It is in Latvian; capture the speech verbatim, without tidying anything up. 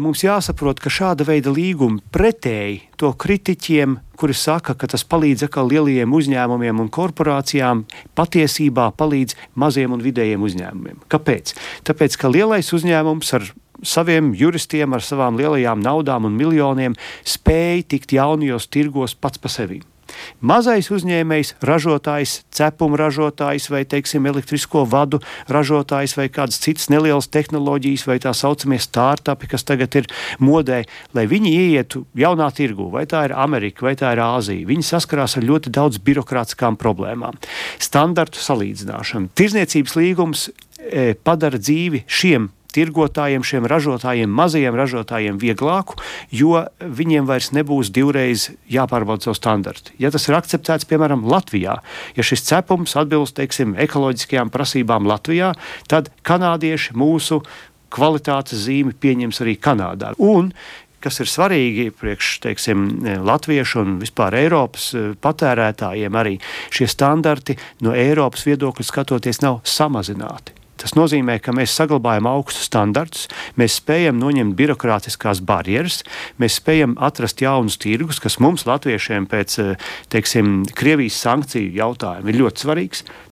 mums jāsaprot, ka šāda veida līgumi pretēji to kritiķiem, kuri saka, ka tas palīdz atkal lielajiem uzņēmumiem un korporācijām, patiesībā palīdz maziem un vidējiem uzņēmumiem. Kāpēc? Tāpēc, ka lielais uzņēmums ar saviem juristiem, ar savām lielajām naudām un miljoniem spēja tikt jaunajos tirgos pats pa sevi. Mazais uzņēmējs, ražotājs, cepuma ražotājs vai, teiksim, elektrisko vadu ražotājs vai kādas citas nelielas tehnoloģijas vai tā saucamie startupi, kas tagad ir modē, lai viņi ieietu jaunā tirgu, vai tā ir Amerika, vai tā ir Āzija. Viņi saskarās ar ļoti daudz birokrātiskām problēmām. Standartu salīdzināšana. Tirzniecības līgums e, padara dzīvi šiem tirgotājiem, šiem ražotājiem, mazajiem ražotājiem vieglāku, jo viņiem vairs nebūs divreiz jāpārbauda savu standartu. Ja tas ir akceptēts, piemēram, Latvijā, ja šis cepums atbilst, teiksim, ekoloģiskajām prasībām Latvijā, tad kanādieši mūsu kvalitātes zīmi pieņems arī Kanādā. Un kas ir svarīgi priekš, teiksim, latviešu un vispār Eiropas patērētājiem arī, šie standarti no Eiropas viedokļa skatoties nav samazināti. Tas nozīmē, ka mēs saglabājam augstus standartus, mēs spējam noņemt birokrātiskās barjeras, mēs spējam atrast jaunus tirgus, kas mums, latviešiem, pēc, teiksim, Krievijas sankciju jautājumu ir ļoti svarīgs.